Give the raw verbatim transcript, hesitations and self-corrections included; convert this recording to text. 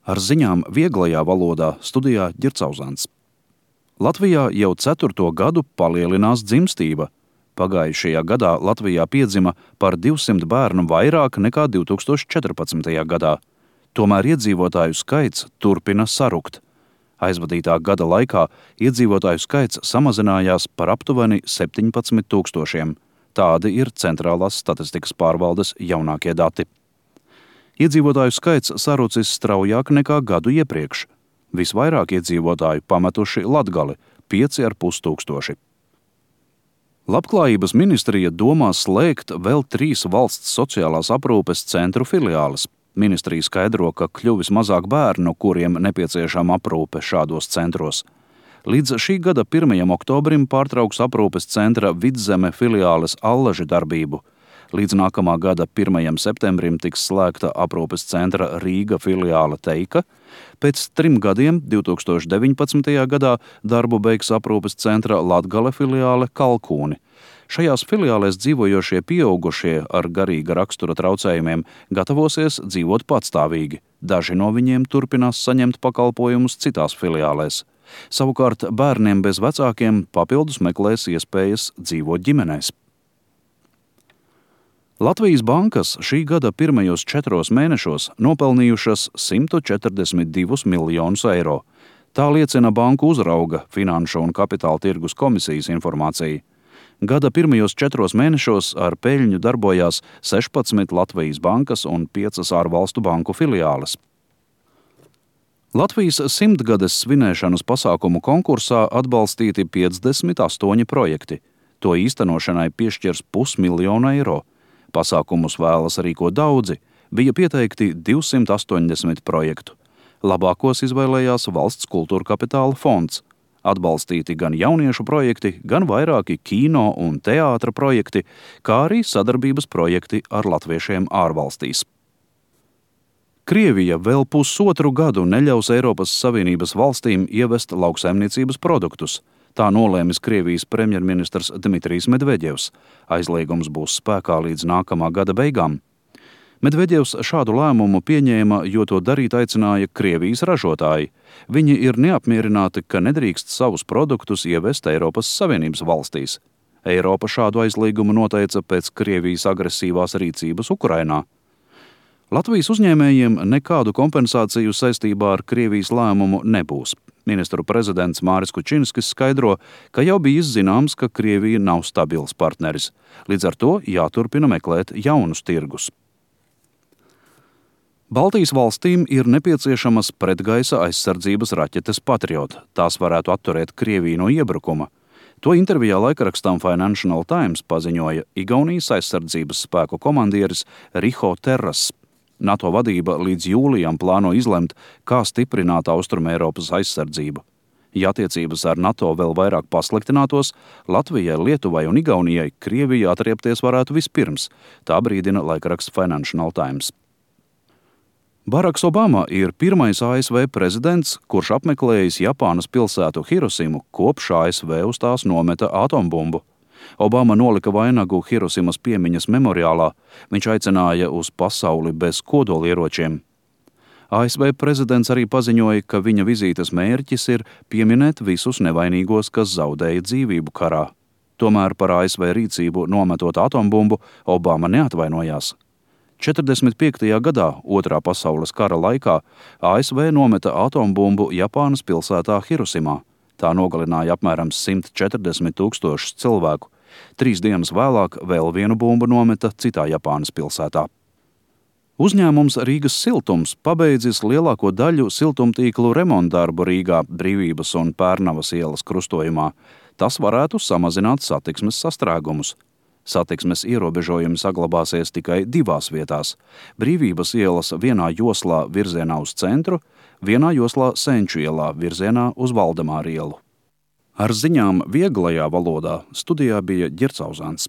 Ar ziņām vieglajā valodā studijā Ģircauzāns. Latvijā jau ceturto gadu palielinās dzimstība. Pagājušajā gadā Latvijā piedzima par divsimt bērnu vairāk nekā divi tūkstoši četrpadsmitajā gadā. Tomēr iedzīvotāju skaits turpina sarukt. Aizvadītā gada laikā iedzīvotāju skaits samazinājās par aptuveni septiņpadsmit tūkstošiem. Tādi ir Centrālās statistikas pārvaldes jaunākie dati. Iedzīvotāju skaits sarucis straujāk nekā gadu iepriekš. Visvairāk iedzīvotāju pametuši Latgali – pieci ar pus tūkstoši. Labklājības ministrija domā slēgt vēl trīs valsts sociālās aprūpes centru filiāles. Ministrija skaidro, ka kļuvis mazāk bērnu, kuriem nepieciešama aprūpe šādos centros. Līdz šī gada pirmajam oktobrim pārtrauks aprūpes centra Vidzeme filiāles Allaži darbību. Līdz nākamā gada pirmajam septembrim tiks slēgta aprūpes centra Rīga filiāle Teika. Pēc trim gadiem, divi tūkstoši deviņpadsmitajā gadā, darbu beigs aprūpes centra Latgale filiāle Kalkūni. Šajās filiālēs dzīvojošie pieaugušie ar garīga rakstura traucējumiem gatavosies dzīvot patstāvīgi. Daži no viņiem turpinās saņemt pakalpojumus citās filiālēs. Savukārt bērniem bez vecākiem papildus meklēs iespējas dzīvot ģimenēs. Latvijas bankas šī gada pirmajos četros mēnešos nopelnījušas simt četrdesmit divus miljonus eiro. Tā liecina banku uzrauga Finanšu un kapitāla tirgus komisijas informācija. Gada pirmajos četros mēnešos ar peļņu darbojās sešpadsmit Latvijas bankas un piecas ārvalstu banku filiāles. Latvijas simtgades svinēšanas pasākumu konkursā atbalstīti piecdesmit astoņi projekti. To īstenošanai piešķirs pusmiljonu eiro. Pasākumus vēlas rīkot daudzi, bija pieteikti divsimt astoņdesmit projektu. Labākos izvēlējās Valsts kultūra kapitāla fonds. Atbalstīti gan jauniešu projekti, gan vairāki kino un teātra projekti, kā arī sadarbības projekti ar latviešiem ārvalstīs. Krievija vēl pusotru gadu neļaus Eiropas Savienības valstīm ievest lauksaimniecības produktus. Tā nolēmis Krievijas premjerministrs Dmitrijs Medveģevs. Aizliegums būs spēkā līdz nākamā gada beigām. Medveģevs šādu lēmumu pieņēma, jo to darīt aicināja Krievijas ražotāji. Viņi ir neapmierināti, ka nedrīkst savus produktus ievest Eiropas Savienības valstīs. Eiropa šādu aizliegumu noteica pēc Krievijas agresīvās rīcības Ukrainā. Latvijas uzņēmējiem nekādu kompensāciju saistībā ar Krievijas lēmumu nebūs. Ministru prezidents Māris Kučinskis skaidro, ka jau bija zināms, ka Krievija nav stabils partneris. Līdz ar to jāturpina meklēt jaunus tirgus. Baltijas valstīm ir nepieciešamas pretgaisa aizsardzības raķetes Patriot. Tās varētu atturēt Krieviju no iebrukuma. To intervijā laikrakstām Financial Times paziņoja Igaunijas aizsardzības spēku komandieris Riho Terras. NATO vadība līdz jūlijam plāno izlemt, kā stiprināt Austrumeiropas aizsardzību. Ja attiecības ar NATO vēl vairāk pasliktinātos, Latvijai, Lietuvai un Igaunijai Krievija atriepties varētu vispirms, tā brīdina laikraksts Financial Times. Baraks Obama ir pirmais A S V prezidents, kurš apmeklējis Japānas pilsētu Hirosimu, kopš A S V uz tās nometa atombumbu. Obama nolika vainagu Hirosimas piemiņas memoriālā. Viņš aicināja uz pasauli bez kodolieročiem. A S V prezidents arī paziņoja, ka viņa vizītes mērķis ir pieminēt visus nevainīgos, kas zaudēja dzīvību karā. Tomēr par A S V rīcību nometot atombumbu Obama neatvainojās. četrdesmit piektajā gadā, otrā pasaules kara laikā, A S V nometa atombumbu Japānas pilsētā Hirosimā. Tā nogalināja apmēram simt četrdesmit tūkstošus cilvēku. Trīs dienas vēlāk vēl vienu bumbu nometa citā Japānas pilsētā. Uzņēmums Rīgas siltums pabeidzis lielāko daļu siltumtīklu remontdarbu Rīgā, Brīvības un Pērnavas ielas krustojumā. Tas varētu samazināt satiksmes sastrēgumus. Satiksmes ierobežojumi saglabāsies tikai divās vietās – Brīvības ielas vienā joslā virzienā uz centru, vienā joslā Senču ielā virzienā uz Valdemāru ielu. Ar ziņām vieglajā valodā studijā bija Ģircauzāns.